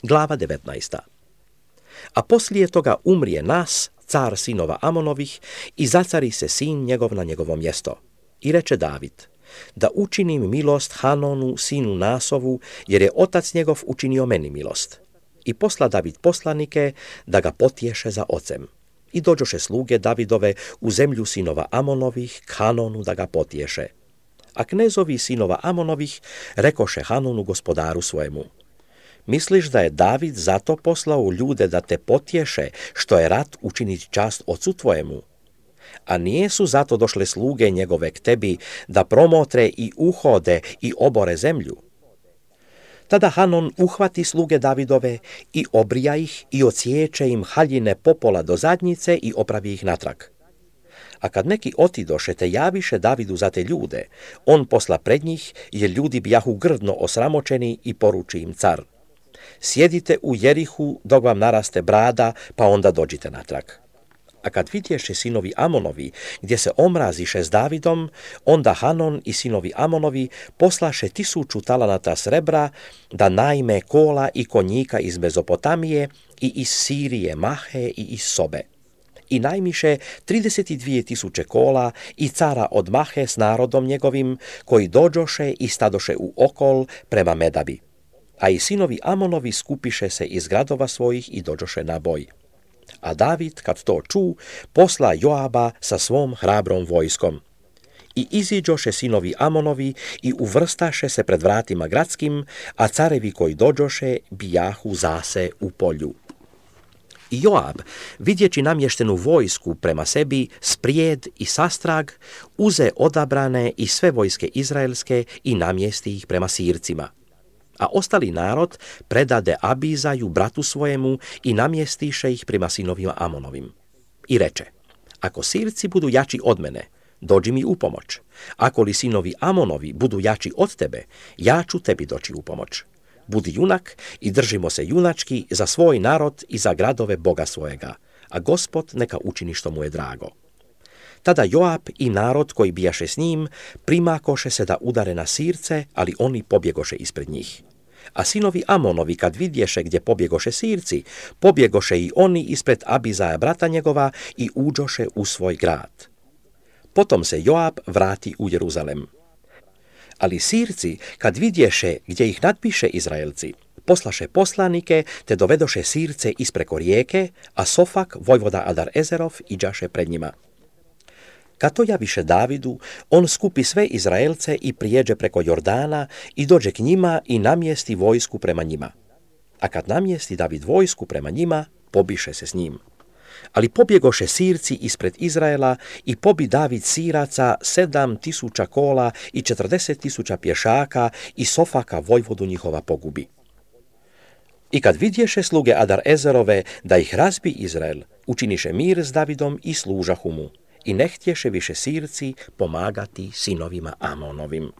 Glava 19. A poslije toga umrije Nas, car sinova Amonovih, i zacari se sin njegov na njegovo mjesto. I reče David, da učinim milost Hanonu, sinu Nasovu, jer je otac njegov učinio meni milost. I posla David poslanike da ga potješe za ocem. I dođoše sluge Davidove u zemlju sinova Amonovih k Hanonu da ga potješe. A knezovi sinova Amonovih rekoše Hanonu gospodaru svojemu, misliš da je David zato poslao ljude da te potješe, što je rat učiniti čast ocu tvojemu? A nijesu zato došle sluge njegove k tebi da promotre i uhode i obore zemlju? Tada Hanon uhvati sluge Davidove i obrija ih i odsječe im haljine popola do zadnjice i opravi ih natrag. A kad neki otidoše te javiše Davidu za te ljude, on posla pred njih, jer ljudi bijahu grdno osramočeni, i poruči im car, sjedite u Jerihu dok vam naraste brada, pa onda dođite natrag. A kad vidješe sinovi Amonovi gdje se omraziše s Davidom, onda Hanon i sinovi Amonovi poslaše 1000 talanata srebra da najme kola i konjika iz Mezopotamije i iz Sirije Mahe i iz Sobe. I najmiše 32.000 kola i cara od Mahe s narodom njegovim, koji dođoše i stadoše u okol prema Medabi. A i sinovi Amonovi skupiše se iz gradova svojih i dođoše na boj. A David, kad to ču, posla Joaba sa svom hrabrom vojskom. I iziđoše sinovi Amonovi i uvrstaše se pred vratima gradskim, a carevi koji dođoše bijahu zase u polju. I Joab, vidjeći namještenu vojsku prema sebi, sprijed i sastrag, uze odabrane i sve vojske izraelske i namjesti ih prema Sircima. A ostali narod predade Abizaju, bratu svojemu, i namjestiše ih prema sinovima Amonovim. I reče, ako Sirci budu jači od mene, dođi mi u pomoć. Ako li sinovi Amonovi budu jači od tebe, ja ću tebi doći u pomoć. Budi junak i držimo se junački za svoj narod i za gradove Boga svojega, a Gospod neka učini što mu je drago. Tada Joab i narod koji bijaše s njim primakoše se da udare na Sirce, ali oni pobjegoše ispred njih. A sinovi Amonovi, kad vidješe gdje pobjegoše Sirci, pobjegoše i oni ispred Abizaja brata njegova i uđoše u svoj grad. Potom se Joab vrati u Jeruzalem. Ali Sirci, kad vidješe gdje ih nadbiše Izraelci, poslaše poslanike te dovedoše Sirce ispreko rijeke, a Sofak, vojvoda Adar Ezerov, iđaše pred njima. Kad to javiše Davidu, on skupi sve Izraelce i prijeđe preko Jordana i dođe k njima i namjesti vojsku prema njima. A kad namjesti David vojsku prema njima, pobiše se s njim. Ali pobjegoše Sirci ispred Izraela i pobi David Siraca 7.000 kola i 40.000 pješaka i Sofaka vojvodu njihova pogubi. I kad vidješe sluge Adar Ezerove da ih razbi Izrael, učiniše mir s Davidom i služahu mu. I ne htješe više Sirci pomagati sinovima Amonovim.